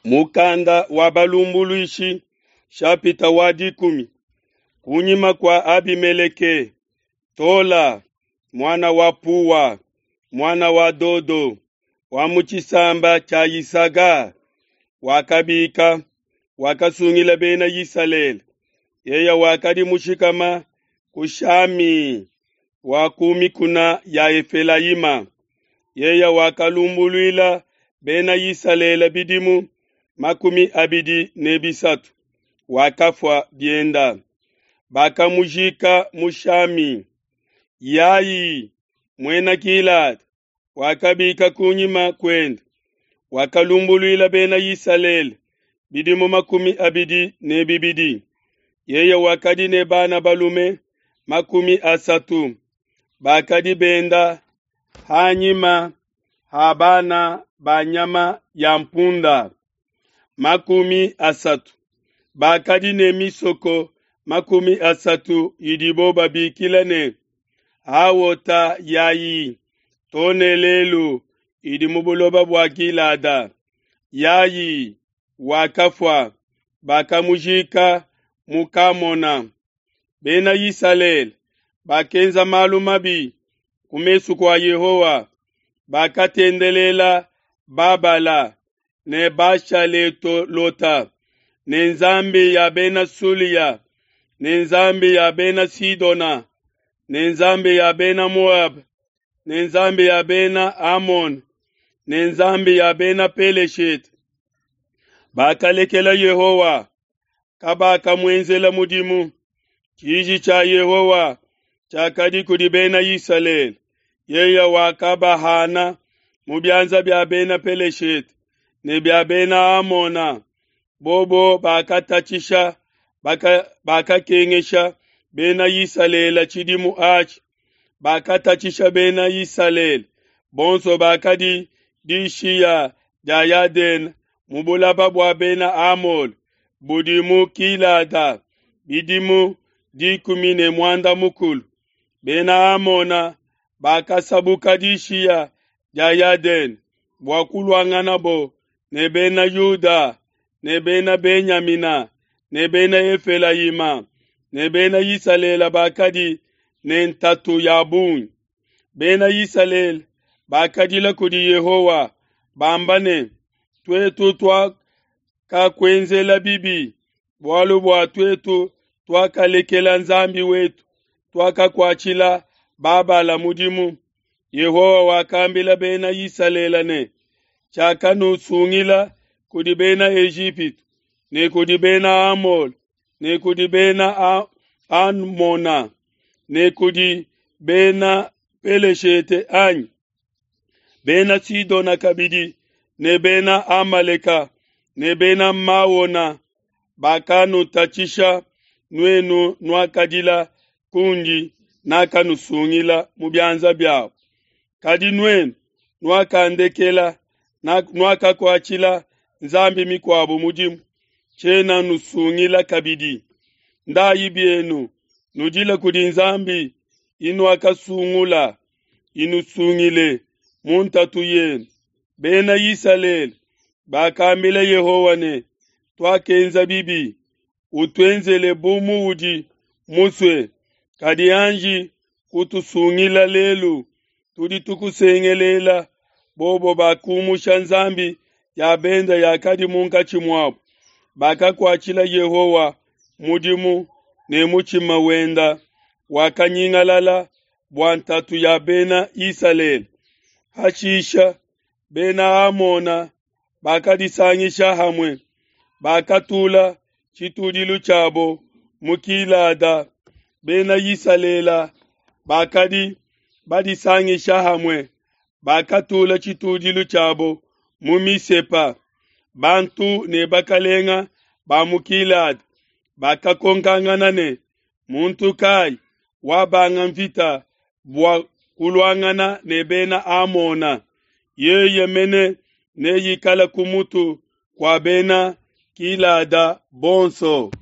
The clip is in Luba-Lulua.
Mukanda wa balumbuluishi shapita wa dikumi. Kunyima kua Abimeleke, Tola muana wa Puwa, muana wa Dodo, wa mu tshisamba tshia Yisaka, wakabika, wakasungila bena Isalele. Yeye wakadi mushikama ku Shami wa ku mikuna ya Efelayima. Yeye wakalumbuluila bena Isalele bidimu 23, wakafua bienda. Bakamujika mu Shami. Yai, muena Gilada, wakabika kunyima kuende, wakalumbuluila bena Isalele bidimu 22. Yeye wakadi ne bana balume 30 bakadi benda hanyima ha bana ba nyama ya mpunda 30. Bakadi ne misoko 30 idibo babikila ne Hawota Yayi too ne lelu idi mu buloba bua Gilada. Yayi wakafua, bakamujika mu Kamona. Bena Isalele bakenza malu mabi ku mesu kua Yehowa, bakatendelela Babala ne Bashaletolota ne nzambi ya bena Sulia ne nzambi ya bena Sidona ne nzambi ya bena Moaba ne nzambi ya bena Amone ne nzambi ya bena Peleshete. Bakalekela Yehowa, kabakamuenzela mudimu. Tshiji tshia Yehowa tshiakadi kudi bena Isalele, yeye wakabahana mu bianza bia bena Peleshete ne bia bena Amona. Bobo bakatatshisha bakakengesha bena Isalele tshidimu atshi. Bakatatshisha bena Isalele bonso bakadi dishiya dia Yadene mu bulaba bua bena Amole budi mu Gilada bidimu 18. Bena Amona bakasabuka dishiya dia Yadene bua kuluanganabo ne bena Yuda ne bena Benyamina ne bena Efelayima ne bena Isalele bakadi ne ntatu ya bungi. Bena Isalele bakadila kudi Yehowa bamba ne, tuetu tuakakuenzela bibi, bualu bua tuetu tuakalekela Nzambi wetu, tuakakuatshila Babala mudimu. Yehowa wakambila bena Isalele ne, tshiakanusungila kudi bena Ejipitu ne kudi bena Amole ne kudi bena Amona ne kudi bena Peleshete anyi? Bena Sidona kabidi ne bena Amaleka ne bena Maona bakanutatshisha, nuenu nuakadila kundi, nakanusungila mu bianza biabo. Kadi nuenu nuakandekela, nuakakuatshila nzambi mikuabo mudimu, tshiena nusungila kabidi. Ndayi bienu, nudile kudi nzambi inuakasungula, inusungile mu ntatu yenu. Bena Isalele bakambila Yehowa ne, tuakenza bibi, utuenzele bu muudi musue, kadi anji kutusungila lelu, tudi tukusengelela. Bobo bakumusha nzambi ya benda yakadi munkatshi muabo, bakakuatshila Yehowa mudimu ne mutshima wenda wakanyingalala bua ntatu ya bena Isalele. Hashisha bena Amona bakadisangisha hamue, bakatula tshitudilu tshiabo mu Gilada. Bena Isalele bakadi badisangisha hamue, bakatula tshitudilu tshiabo mu Misepa. Bantu ne bakalenga ba mu Gilada bakakonkangana ne, muntu kai wabanga mvita bua kuluangana ne bena Amona? Yeye mene neikale ku mutu kua bena Gilada bonso.